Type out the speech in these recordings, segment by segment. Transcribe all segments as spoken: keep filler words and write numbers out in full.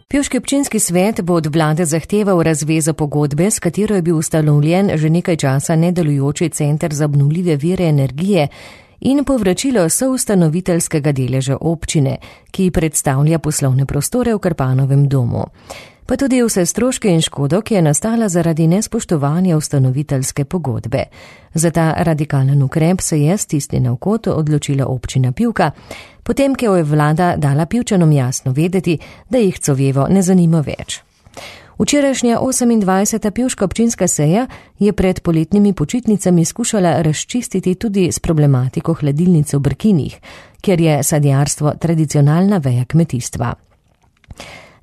Pivški občinski svet bo od vlade zahteval razvezo pogodbe, s katero je bil ustanovljen že nekaj časa nedelujoči center za obnovljive vire energije in povračilo soustanoviteljskega deleža občine, ki predstavlja poslovne prostore v Krpanovem domu. Pa tudi vse stroške in škodo, ki je nastala zaradi nespoštovanja ustanoviteljske pogodbe. Za ta radikalen ukrep se je stisnjena v kot odločila občina Pivka, potem, ko je vlada dala Pivčanom jasno vedeti, da jih Covevo ne zanima več. Včerajšnja osemindvajseta pivška občinska seja je pred poletnimi počitnicami skušala razčistiti tudi s problematiko hladilnice v Brkinih, kjer je sadjarstvo tradicionalna veja kmetijstva.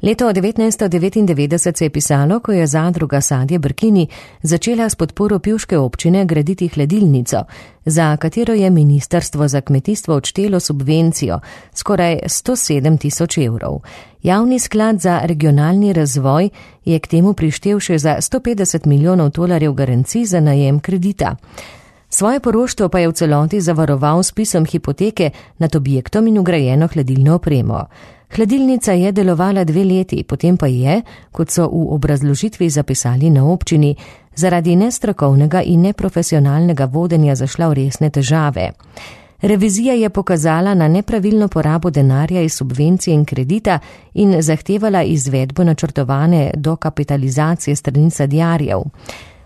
Leto devetnajststo devetindevetdeset se je pisalo, ko je zadruga Sadje Brkini začela s podporo pivške občine graditi hladilnico, za katero je ministrstvo za kmetijstvo odštelo subvencijo skoraj sto sedem tisoč evrov. Javni sklad za regionalni razvoj je k temu prištel še za sto petdeset milijonov tolarjev garancij za najem kredita. Svoje poroštvo pa je v celoti zavaroval s pisom hipoteke nad objektom in vgrajeno hladilno opremo. Hladilnica je delovala dve leti, potem pa je, kot so v obrazložitvi zapisali na občini, zaradi nestrokovnega in neprofesionalnega vodenja zašla v resne težave. Revizija je pokazala na nepravilno porabo denarja iz subvencije in kredita in zahtevala izvedbo načrtovane dokapitalizacije strani sadjarjev.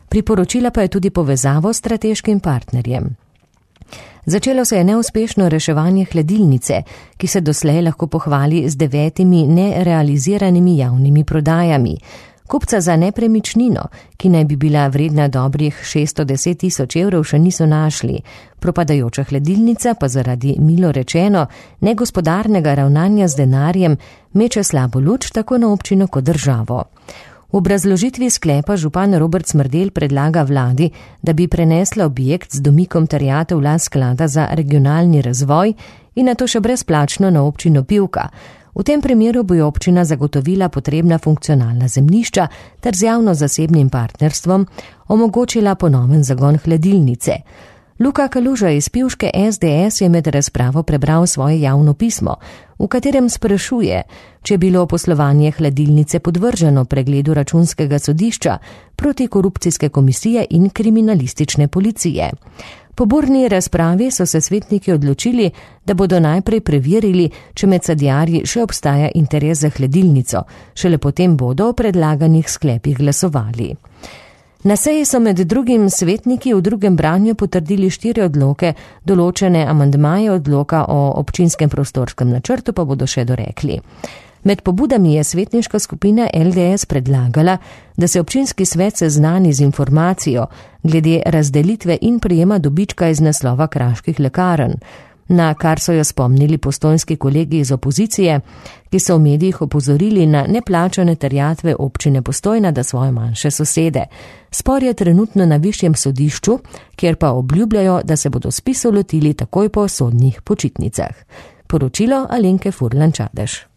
Priporočila pa je tudi povezavo s strateškim partnerjem. Začelo se je neuspešno reševanje hladilnice, ki se doslej lahko pohvali z devetimi nerealiziranimi javnimi prodajami. Kupca za nepremičnino, ki naj bi bila vredna dobrih šeststo deset tisoč evrov, še niso našli. Propadajoča hladilnica pa zaradi, milo rečeno, negospodarnega ravnanja z denarjem meče slabo luč tako na občino kot državo. V obrazložitvi sklepa župan Robert Smrdelj predlaga vladi, da bi prenesla objekt z domikom terjatev v last sklada za regionalni razvoj in nato še brezplačno na občino Pivka. V tem primeru bo občina zagotovila potrebna funkcionalna zemljišča ter z javno-zasebnim partnerstvom omogočila ponoven zagon hladilnice. Luka Kaluža iz pivške es de es je med razpravo prebral svoje javno pismo, v katerem sprašuje, če je bilo poslovanje hladilnice podvrženo pregledu računskega sodišča, protikorupcijske komisije in kriminalistične policije. Po burni razpravi so se svetniki odločili, da bodo najprej preverili, če med sadjarji še obstaja interes za hladilnico, šele potem bodo o predlaganih sklepih glasovali. Na seji so med drugim svetniki v drugem branju potrdili štiri odloke, določene amandmaje odloka o občinskem prostorskem načrtu pa bodo še dorekli. Med pobudami je svetniška skupina el de es predlagala, da se občinski svet seznani z informacijo glede razdelitve in prejema dobička iz naslova kraških lekarn, na kar so jo spomnili postojnski kolegi iz opozicije, ki so v medijih opozorili na neplačane terjatve občine Postojna da svoje manjše sosede. Spor je trenutno na višjem sodišču, kjer pa obljubljajo, da se bodo spisov lotili takoj po sodnih počitnicah. Poročilo Alenke Furlan Čadež.